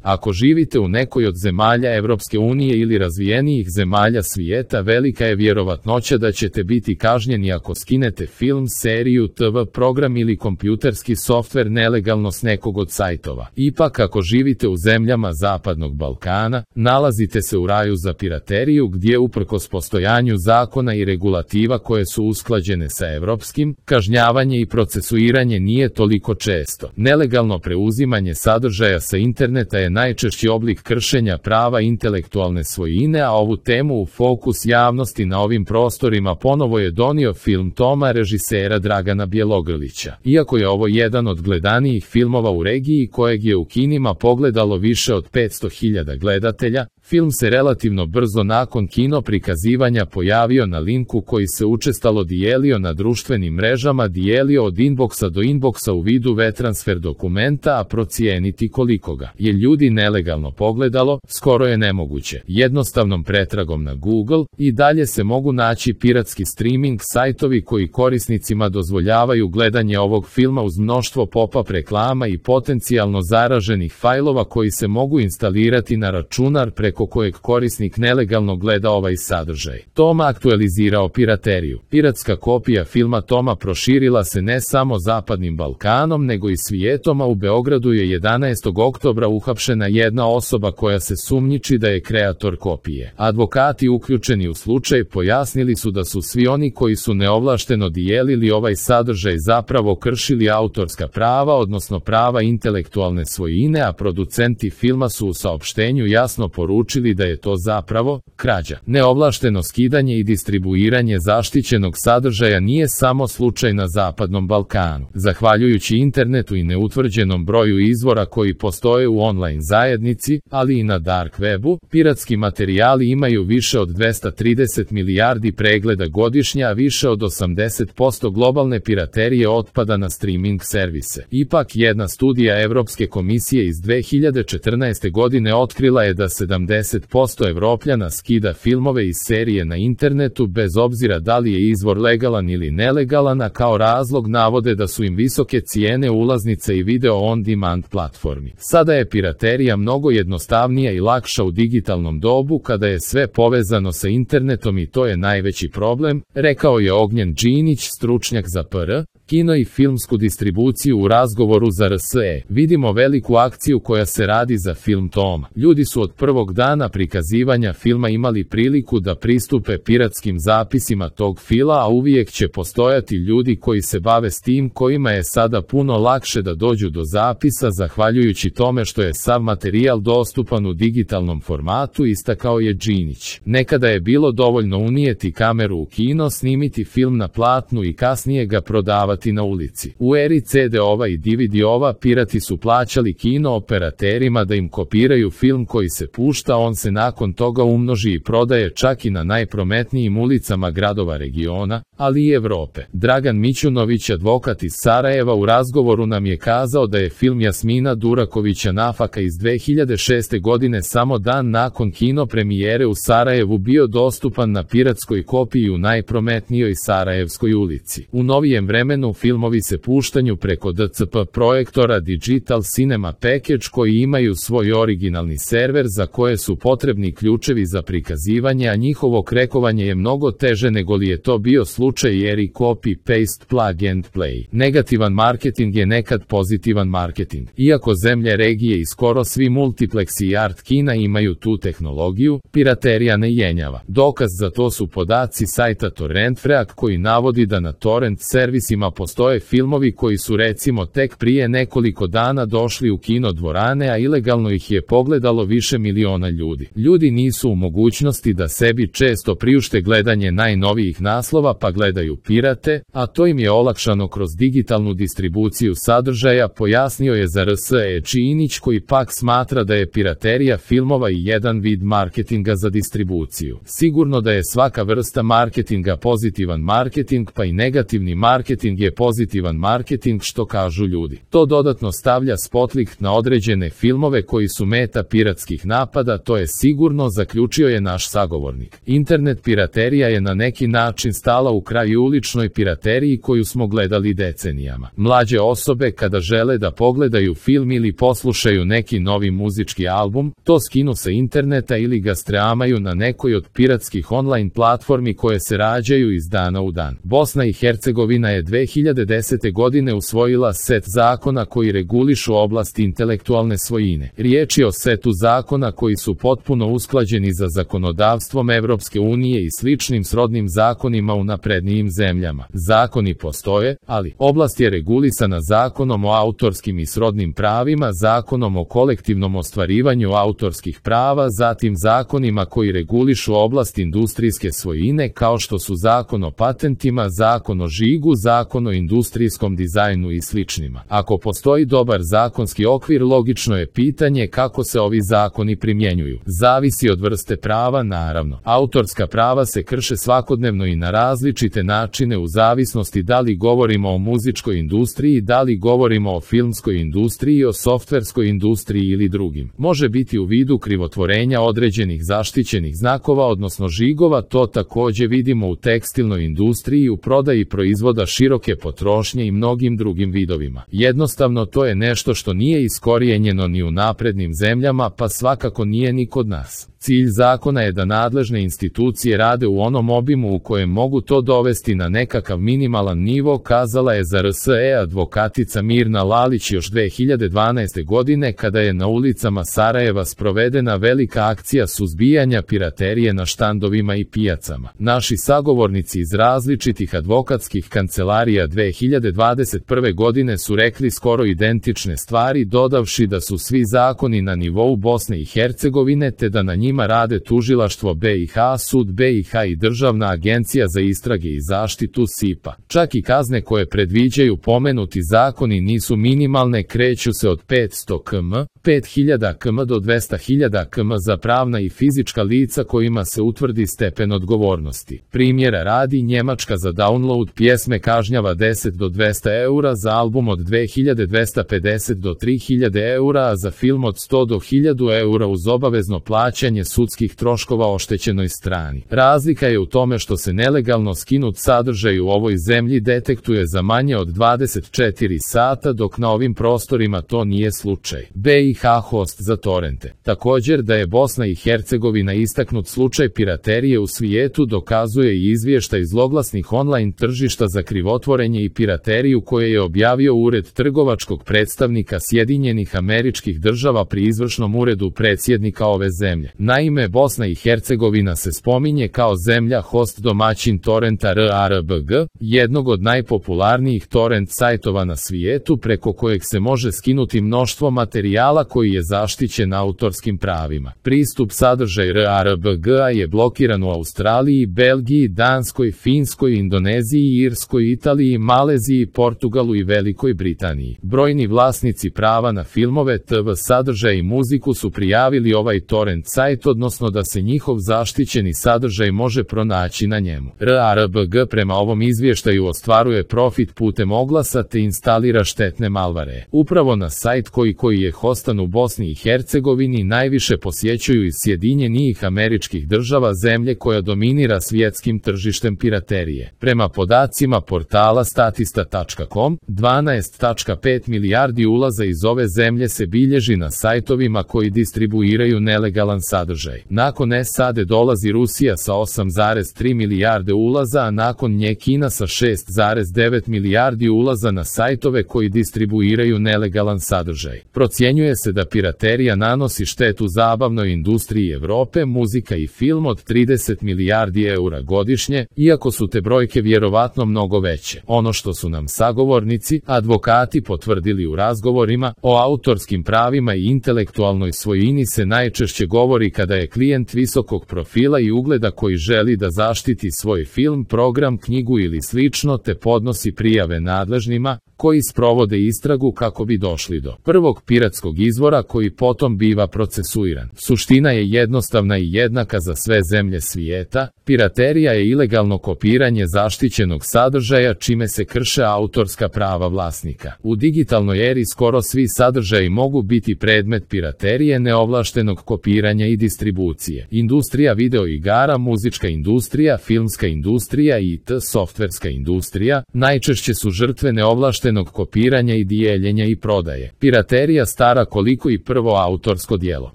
Ako živite u nekoj od zemalja Evropske unije ili razvijenijih zemalja svijeta, velika je vjerovatnoća da ćete biti kažnjeni ako skinete film, seriju, TV program ili kompjuterski softver nelegalno s nekog od sajtova. Ipak, ako živite u zemljama Zapadnog Balkana, nalazite se u raju za pirateriju gdje uprkos postojanju zakona i regulativa koje su usklađene sa evropskim, kažnjavanje i procesuiranje nije toliko često. Nelegalno preuzimanje sadržaja sa interneta je najčešći oblik kršenja prava intelektualne svojine, a ovu temu u fokus javnosti na ovim prostorima ponovo je donio film Toma režisera Dragana Bjelogrlića. Iako je ovo jedan od gledanijih filmova u regiji kojeg je u kinima pogledalo više od 500.000 gledatelja, film se relativno brzo nakon kino prikazivanja pojavio na linku koji se učestalo dijelio na društvenim mrežama, dijelio od inboxa do inboxa u vidu WeTransfer dokumenta, a procijeniti koliko ga je ljudi nelegalno pogledalo, skoro je nemoguće. Jednostavnom pretragom na Google i dalje se mogu naći piratski streaming sajtovi koji korisnicima dozvoljavaju gledanje ovog filma uz mnoštvo pop-up reklama i potencijalno zaraženih fajlova koji se mogu instalirati na računar preko kojeg korisnik nelegalno gleda ovaj sadržaj. Toma aktualizirao pirateriju. Piratska kopija filma Toma proširila se ne samo Zapadnim Balkanom nego i svijetom, a u Beogradu je 11. oktobra uhapšena jedna osoba koja se sumnjiči da je kreator kopije. Advokati uključeni u slučaj pojasnili su da su svi oni koji su neovlašteno dijelili ovaj sadržaj zapravo kršili autorska prava, odnosno prava intelektualne svojine, a producenti filma su u saopštenju jasno poručili da je to zapravo krađa. Neovlašteno skidanje i distribuiranje zaštićenog sadržaja nije samo slučaj na Zapadnom Balkanu. Zahvaljujući internetu i neutvrđenom broju izvora koji postoje u online zajednici, ali i na dark webu, piratski materijali imaju više od 230 milijardi pregleda godišnje, a više od 80% globalne piraterije otpada na streaming servise. Ipak, jedna studija Evropske komisije iz 2014. godine otkrila je da 70% Evropljana skida filmove iz serije na internetu bez obzira da li je izvor legalan ili nelegalan, a kao razlog navode da su im visoke cijene ulaznice i video on demand platformi. Sada je piraterija mnogo jednostavnija i lakša u digitalnom dobu kada je sve povezano sa internetom i to je najveći problem, rekao je Ognjen Đinić, stručnjak za PR, kino i filmsku distribuciju u razgovoru za RSE. Vidimo veliku akciju koja se radi za film Toma. Ljudi su od prvog dana prikazivanja filma imali priliku da pristupe piratskim zapisima tog fila, a uvijek će postojati ljudi koji se bave s tim, kojima je sada puno lakše da dođu do zapisa zahvaljujući tome što je sav materijal dostupan u digitalnom formatu, istakao je Đinić. Nekada je bilo dovoljno unijeti kameru u kino, snimiti film na platnu i kasnije ga prodavati na ulici. U eri CD-ova i DVD-ova pirati su plaćali kino operaterima da im kopiraju film koji se pušta, on se nakon toga umnoži i prodaje čak i na najprometnijim ulicama gradova regiona, ali i Evrope. Dragan Mićunović, advokat iz Sarajeva, u razgovoru nam je kazao da je film Jasmina Durakovića Nafaka iz 2006. godine samo dan nakon kino premijere u Sarajevu bio dostupan na piratskoj kopiji u najprometnijoj Sarajevskoj ulici. U novijem vremenu filmovi se puštanju preko DCP projektora Digital Cinema Package koji imaju svoj originalni server za koje su potrebni ključevi za prikazivanje, a njihovo krekovanje je mnogo teže nego li je to bio slučaj jer i copy-paste plug and play. Negativan marketing je nekad pozitivan marketing. Iako zemlje regije i skoro svi multipleksi i art kina imaju tu tehnologiju, piraterija ne jenjava. Dokaz za to su podaci sajta Torrentfreak koji navodi da na torrent servisima postoje filmovi koji su recimo tek prije nekoliko dana došli u kino dvorane, a ilegalno ih je pogledalo više miliona ljudi. Ljudi nisu u mogućnosti da sebi često priušte gledanje najnovijih naslova pa gledaju pirate, a to im je olakšano kroz digitalnu distribuciju sadržaja, pojasnio je za RSE Đinić, koji pak smatra da je piraterija filmova i jedan vid marketinga za distribuciju. Sigurno da je svaka vrsta marketinga pozitivan marketing, pa i negativni marketing je pozitivan marketing, što kažu ljudi. To dodatno stavlja spotlight na određene filmove koji su meta piratskih napada, to je sigurno, zaključio je naš sagovornik. Internet piraterija je na neki način stala u kraj uličnoj pirateriji koju smo gledali decenijama. Mlađe osobe kada žele da pogledaju film ili poslušaju neki neki novi muzički album, to skinu sa interneta ili ga streamaju na nekoj od piratskih online platformi koje se rađaju iz dana u dan. Bosna i Hercegovina je 2010. godine usvojila set zakona koji regulišu oblast intelektualne svojine. Riječ je o setu zakona koji su potpuno usklađeni za zakonodavstvom Evropske unije i sličnim srodnim zakonima u naprednijim zemljama. Zakoni postoje, ali oblast je regulisana Zakonom o autorskim i srodnim pravima, Zakonom o kolektivnom ostvarivanju autorskih prava, zatim zakonima koji regulišu oblast industrijske svojine kao što su Zakon o patentima, Zakon o žigu, Zakon o industrijskom dizajnu i sličnima. Ako postoji dobar zakonski okvir, logično je pitanje kako se ovi zakoni primjenjuju. Zavisi od vrste prava, naravno. Autorska prava se krše svakodnevno i na različite načine u zavisnosti da li govorimo o muzičkoj industriji, da li govorimo o filmskoj industriji, o softverskoj industriji ili drugim. Može biti u vidu krivotvorenja određenih zaštićenih znakova, odnosno žigova, to također vidimo u tekstilnoj industriji, u prodaji proizvoda široke potrošnje i mnogim drugim vidovima. Jednostavno to je nešto što nije iskorijenjeno ni u naprednim zemljama, pa svakako nije ni kod nas. Cilj zakona je da nadležne institucije rade u onom obimu u kojem mogu to dovesti na nekakav minimalan nivo, kazala je za RSE advokatica Mirna Lalić još 2012. godine kada je na ulicama Sarajeva sprovedena velika akcija suzbijanja piraterije na štandovima i pijacama. Naši sagovornici iz različitih advokatskih kancelarija 2021. godine su rekli skoro identične stvari, dodavši da su svi zakoni na nivou Bosne i Hercegovine te da na njima rade tužilaštvo BiH, sud BiH i Državna agencija za istrage i zaštitu SIPA. Čak i kazne koje predviđaju pomenuti zakoni nisu minimalne, kreću se od 500 km, 5000 km do 200.000 km za pravna i fizička lica kojima se utvrdi stepen odgovornosti. Primjera radi, Njemačka za download pjesme kažnjava 10 do 200 eura, za album od 2250 do 3000 eura, a za film od 100 do 1000 eura uz obavezno plaćanje sudskih troškova oštećenoj strani. Razlika je u tome što se nelegalno skinut sadržaj u ovoj zemlji detektuje za manje od 24 sata, dok na ovim prostorima to nije slučaj. BiH host za torrente. Također da je Bosna i Hercegovina istaknut slučaj piraterije u svijetu dokazuje i izvještaj zloglasnih online tržišta za krivotvorenje i pirateriju koje je objavio Ured trgovačkog predstavnika Sjedinjenih Američkih Država pri izvršnom uredu predsjednika ove zemlje. Naime, Bosna i Hercegovina se spominje kao zemlja host domaćin torrenta RARBG, jednog od najpopularnijih torrent sajtova na svijetu preko kojeg se može skinuti mnoštvo materijala koji je zaštićen autorskim pravima. Pristup sadržaj RARBG-a je blokiran u Australiji, Belgiji, Danskoj, Finskoj, Indoneziji, Irskoj, Italiji, Maleziji, Portugalu i Velikoj Britaniji. Brojni vlasnici prava na filmove, TV sadržaje i muziku su prijavili ovaj torrent sajt, odnosno da se njihov zaštićeni sadržaj može pronaći na njemu. RARBG prema ovom izvještaju ostvaruje profit putem oglasa te instalira štetne malvare. Upravo na sajt koji je hostan u Bosni i Hercegovini najviše posjećuju iz Sjedinjenih Američkih Država, zemlje koja dominira svjetskim tržištem piraterije. Prema podacima portala statista.com, 12,5 milijardi ulaza iz ove zemlje se bilježi na sajtovima koji distribuiraju nelegalan sadržaj. Nakon SAD dolazi Rusija sa 8,3 milijarde ulaza, a nakon nje Kina sa 6,9 milijardi ulaza na sajtove koji distribuiraju nelegalan sadržaj. Procjenjuje se da piraterija nanosi štetu zabavnoj industriji Evrope, muzika i film od 30 milijardi eura godišnje, iako su te brojke vjerovatno mnogo veće. Ono što su nam sagovornici, advokati potvrdili u razgovorima o autorskim pravima i intelektualnoj svojini se najčešće govori kada je klijent visokog profila i ugleda koji želi da zaštiti svoj film, program, knjigu ili slično te podnosi prijave nadležnima, koji sprovode istragu kako bi došli do prvog piratskog izvora koji potom biva procesuiran. Suština je jednostavna i jednaka za sve zemlje svijeta. Piraterija je ilegalno kopiranje zaštićenog sadržaja čime se krše autorska prava vlasnika. U digitalnoj eri skoro svi sadržaji mogu biti predmet piraterije, neovlaštenog kopiranja i distribucije. Industrija video igara, muzička industrija, filmska industrija i softverska industrija najčešće su žrtve neovlaštenog kopiranja i dijeljenja i prodaje. Piraterija stara kod koliko i prvo autorsko djelo.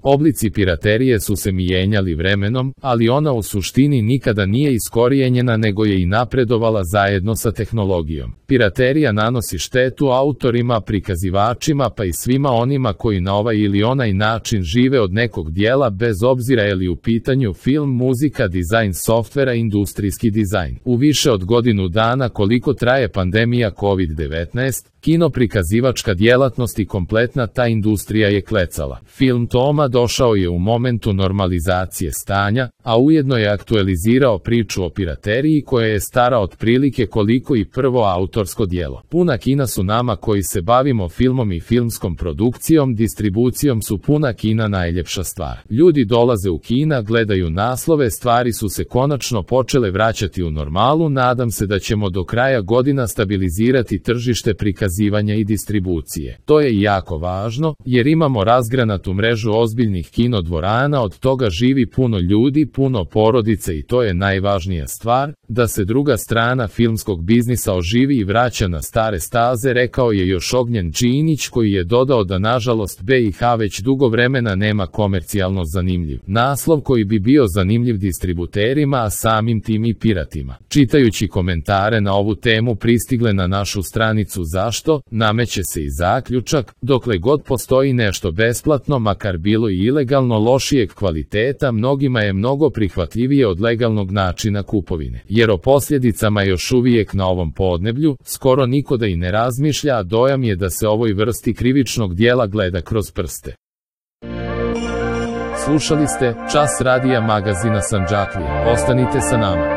Oblici piraterije su se mijenjali vremenom, ali ona u suštini nikada nije iskorijenjena nego je i napredovala zajedno sa tehnologijom. Piraterija nanosi štetu autorima, prikazivačima pa i svima onima koji na ovaj ili onaj način žive od nekog djela bez obzira je li u pitanju film, muzika, dizajn softvera, industrijski dizajn. U više od godinu dana koliko traje pandemija COVID-19, kino prikazivačka djelatnost i kompletna ta industrija je klecala. Film Toma došao je u momentu normalizacije stanja, a ujedno je aktualizirao priču o pirateriji koja je stara otprilike koliko i prvo autorsko djelo. Puna kina su nama koji se bavimo filmom i filmskom produkcijom, distribucijom su puna kina najljepša stvar. Ljudi dolaze u kina, gledaju naslove, stvari su se konačno počele vraćati u normalu, nadam se da ćemo do kraja godina stabilizirati tržište prikazivanja i distribucije. To je jako važno, jer imamo razgranatu mrežu ozbiljnih kinodvorana, od toga živi puno ljudi, puno porodice i to je najvažnija stvar, da se druga strana filmskog biznisa oživi i vraća na stare staze, rekao je još Ognjen Đinić koji je dodao da nažalost BiH već dugo vremena nema komercijalno zanimljiv naslov koji bi bio zanimljiv distributerima, a samim tim i piratima. Čitajući komentare na ovu temu pristigle na našu stranicu Zašto, nameće se i zaključak, dokle god postoji nešto besplatno, makar bilo i ilegalno lošijeg kvaliteta, mnogima je mnogo prihvatljivije od legalnog načina kupovine. Jer o posljedicama još uvijek na ovom podneblju, skoro niko da i ne razmišlja, a dojam je da se ovoj vrsti krivičnog djela gleda kroz prste. Slušali ste Čas radija magazina Sandžaklije. Ostanite sa nama.